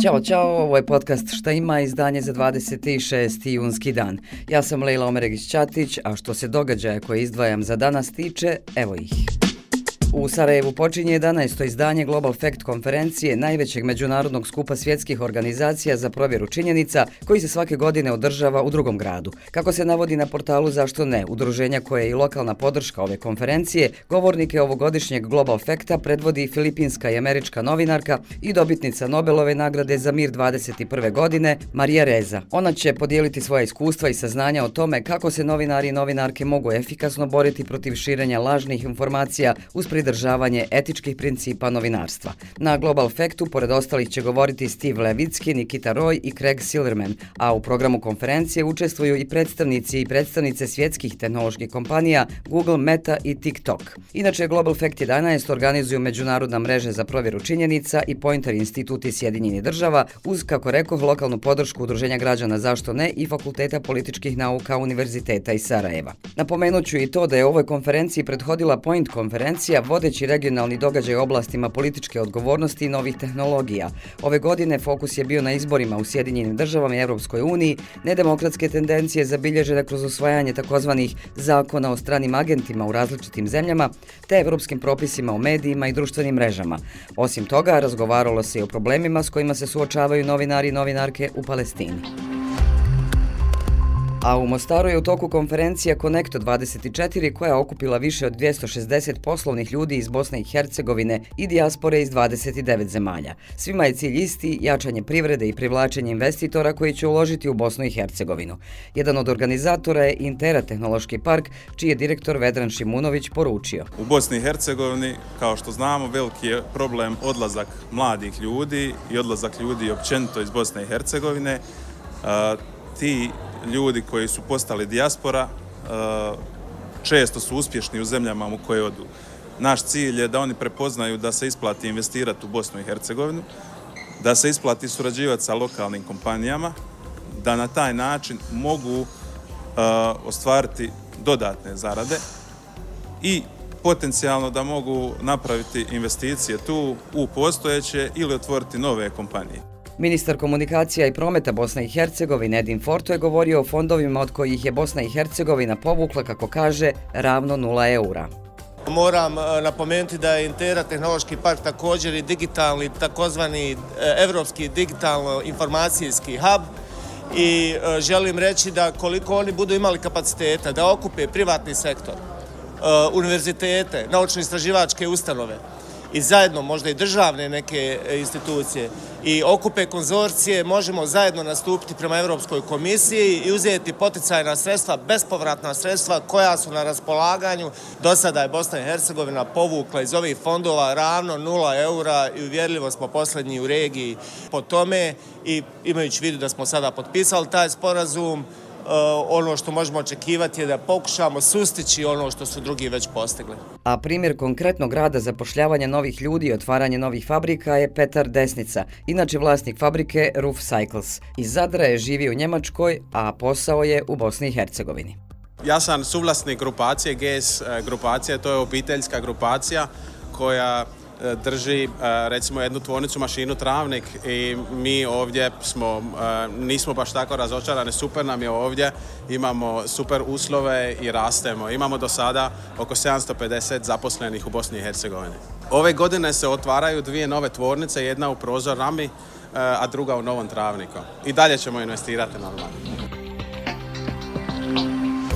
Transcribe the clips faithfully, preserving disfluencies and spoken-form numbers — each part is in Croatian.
Ćao, čao, ovo je podcast Šta ima, izdanje za dvadeset šesti junski dan. Ja sam Lejla Omeregić-Ćatić, a što se događaja koje izdvajam za danas tiče, evo ih. U Sarajevu počinje jedanaesto izdanje Global Fact konferencije, najvećeg međunarodnog skupa svjetskih organizacija za provjeru činjenica, koji se svake godine održava u drugom gradu. Kako se navodi na portalu Zašto ne, udruženja koje je i lokalna podrška ove konferencije, govornike ovogodišnjeg Global Facta predvodi filipinska i američka novinarka i dobitnica Nobelove nagrade za mir dvadeset prve godine, Marija Reza. Ona će podijeliti svoja iskustva i saznanja o tome kako se novinari i novinarke mogu efikasno boriti protiv širenja lažnih informacija uz pridržavanje etičkih principa novinarstva. Na Global Factu, pored ostalih, će govoriti Steve Levitsky, Nikita Roy i Craig Silverman, a u programu konferencije učestvuju i predstavnici i predstavnice svjetskih tehnoloških kompanija Google, Meta i TikTok. Inače, Global Fact jedanaest organizuju Međunarodna mreža za provjeru činjenica i Pointer institut iz Sjedinjenih država uz, kako rekoh, lokalnu podršku Udruženja građana Zašto ne i Fakulteta političkih nauka Univerziteta iz Sarajeva. Napomenut ću i to da je ovoj konferenciji prethodila Point konferencija, vodeći regionalni događaj u oblastima političke odgovornosti i novih tehnologija. Ove godine fokus je bio na izborima u Sjedinjenim državama i Europskoj uniji, nedemokratske tendencije zabilježene kroz usvajanje takozvanih zakona o stranim agentima u različitim zemljama, te europskim propisima o medijima i društvenim mrežama. Osim toga, razgovaralo se i o problemima s kojima se suočavaju novinari i novinarke u Palestini. A u Mostaru je u toku konferencija Connecto dvadeset četiri koja je okupila više od dvjesto šezdeset poslovnih ljudi iz Bosne i Hercegovine i dijaspore iz dvadeset devet zemalja. Svima je cilj isti, jačanje privrede i privlačenje investitora koji će uložiti u Bosnu i Hercegovinu. Jedan od organizatora je Intera tehnološki park, čiji je direktor Vedran Šimunović poručio. U Bosni i Hercegovini, kao što znamo, veliki je problem odlazak mladih ljudi i odlazak ljudi općenito iz Bosne i Hercegovine. Uh, ti ljudi koji su postali dijaspora često su uspješni u zemljama u koje odu. Naš cilj je da oni prepoznaju da se isplati investirati u Bosnu i Hercegovinu, da se isplati surađivati sa lokalnim kompanijama, da na taj način mogu ostvariti dodatne zarade i potencijalno da mogu napraviti investicije tu u postojeće ili otvoriti nove kompanije. Ministar komunikacija i prometa Bosne i Hercegovine Edin Forto je govorio o fondovima od kojih je Bosna i Hercegovina povukla, kako kaže, ravno nula eura. Moram napomenuti da je Intera tehnološki park također i digitalni, takozvani evropski digitalno-informacijski hub i želim reći da koliko oni budu imali kapaciteta da okupe privatni sektor, univerzitete, naučno-istraživačke ustanove, i zajedno možda i državne neke institucije i okupe konzorcije, možemo zajedno nastupiti prema Europskoj komisiji i uzeti poticajna sredstva, bespovratna sredstva koja su na raspolaganju. Do sada je Bosna i Hercegovina povukla iz ovih fondova ravno nula eura i uvjerljivo smo posljednji u regiji po tome i imajući vidu da smo sada potpisali taj sporazum, Uh, ono što možemo očekivati je da pokušamo sustići ono što su drugi već postigli. A primjer konkretnog rada zapošljavanja novih ljudi i otvaranje novih fabrika je Petar Desnica, inače vlasnik fabrike Roof Cycles. Iz Zadra je živio u Njemačkoj, a posao je u Bosni i Hercegovini. Ja sam suvlasnik grupacije G S grupacija, to je obiteljska grupacija koja drži recimo jednu tvornicu mašinu Travnik i mi ovdje smo, nismo baš tako razočarani, super nam je ovdje, imamo super uslove i rastemo. Imamo do sada oko sedamsto pedeset zaposlenih u Bosni i Hercegovini. Ove godine se otvaraju dvije nove tvornice, jedna u Prozor Rami, a druga u Novom Travniku. I dalje ćemo investirati normalno.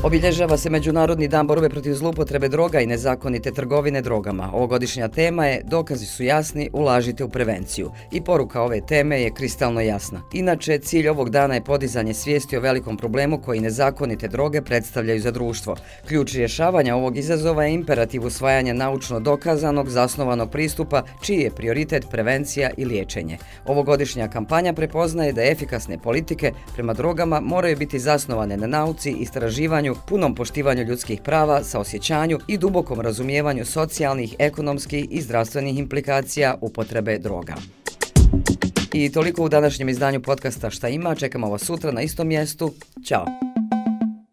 Obilježava se Međunarodni dan borbe protiv zloupotrebe droga i nezakonite trgovine drogama. Ovogodišnja tema je Dokazi su jasni, ulažite u prevenciju. I poruka ove teme je kristalno jasna. Inače, cilj ovog dana je podizanje svijesti o velikom problemu koji nezakonite droge predstavljaju za društvo. Ključ rješavanja ovog izazova je imperativ usvajanja naučno dokazanog, zasnovanog pristupa, čiji je prioritet prevencija i liječenje. Ovogodišnja kampanja prepoznaje da efikasne politike prema drogama moraju biti zasnovane na nauci, istraživanju, punom poštivanju ljudskih prava, saosjećanju i dubokom razumijevanju socijalnih, ekonomskih i zdravstvenih implikacija upotrebe droga. I toliko u današnjem izdanju podcasta Šta ima, čekamo vas sutra na istom mjestu. Ćao!